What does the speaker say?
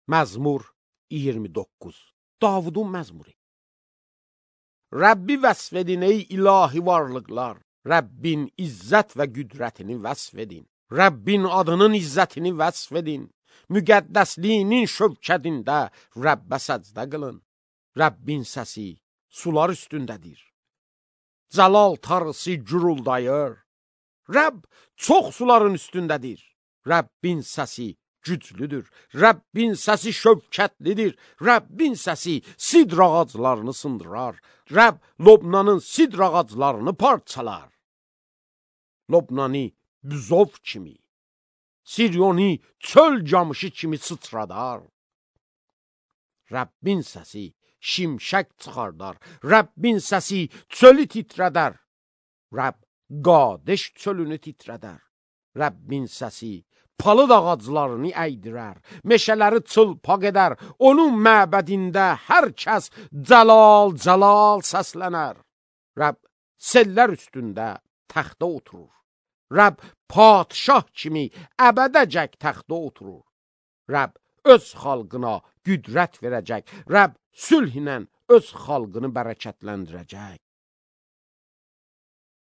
Məzmur 29. Davudun məzmuru. Rəbbi vəsf edin ey ilahi varlıqlar. Rəbbin izzət və qüdrətini vəsf edin. Rəbbin adının izzətini vəsf edin. Müqəddəsliyinin şövkədində Rəbbə səcdə qılın. Rəbbin səsi sular üstündədir. Cəlal tarısı guruldayır. Rəbb çox suların üstündədir. Rəbbin səsi güclüdür. Rəbbin səsi şövkətlidir. Rəbbin səsi sidr ağaclarını sındırar. Rəbb Lobnanın sidr ağaclarını parçalar. Lobnani büzov kimi, Siryoni çöl camışı kimi sıçradar. Rəbbin səsi şimşək çıxardar. Rəbbin səsi çölü titrədər. Rəbb Qadeş çölünü titrədər. Rəbbin səsi palıd ağaclarını əydirər. Meşələri çılpaq edər. Onun məbədində hər kəs cəlal cəlal səslənər. Rəbb sellər üstündə təxtə oturur. Rəbb padşah kimi əbədəcək təxtə oturur. Rəbb öz xalqına qüdrət verəcək. Rəbb sülh ilə öz xalqını bərəkətləndirəcək.